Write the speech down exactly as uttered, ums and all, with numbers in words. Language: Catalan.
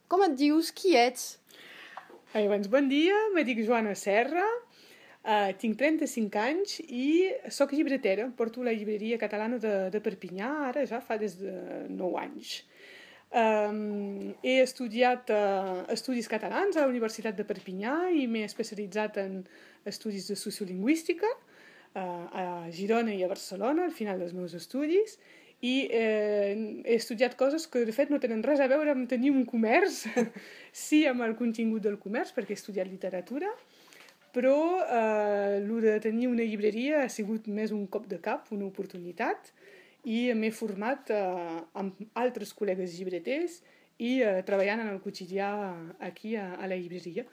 Com et dius? Qui ets? Ai, doncs, bon dia, me dic Joana Serra, uh, tinc trenta-cinc anys i sóc llibretera. Porto la llibreria catalana de, de Perpinyà, ara ja fa des de nou anys. Um, he estudiat uh, estudis catalans a la Universitat de Perpinyà i m'he especialitzat en estudis de sociolingüística uh, a Girona i a Barcelona al final dels meus estudis, i eh, he estudiat coses que de fet no tenen res a veure amb tenir un comerç, sí amb el contingut del comerç perquè he estudiat literatura, però eh, el de tenir una llibreria ha sigut més un cop de cap, una oportunitat, i m'he format eh, amb altres col·legues llibreters i eh, treballant en el quotidià aquí a, a la llibreria.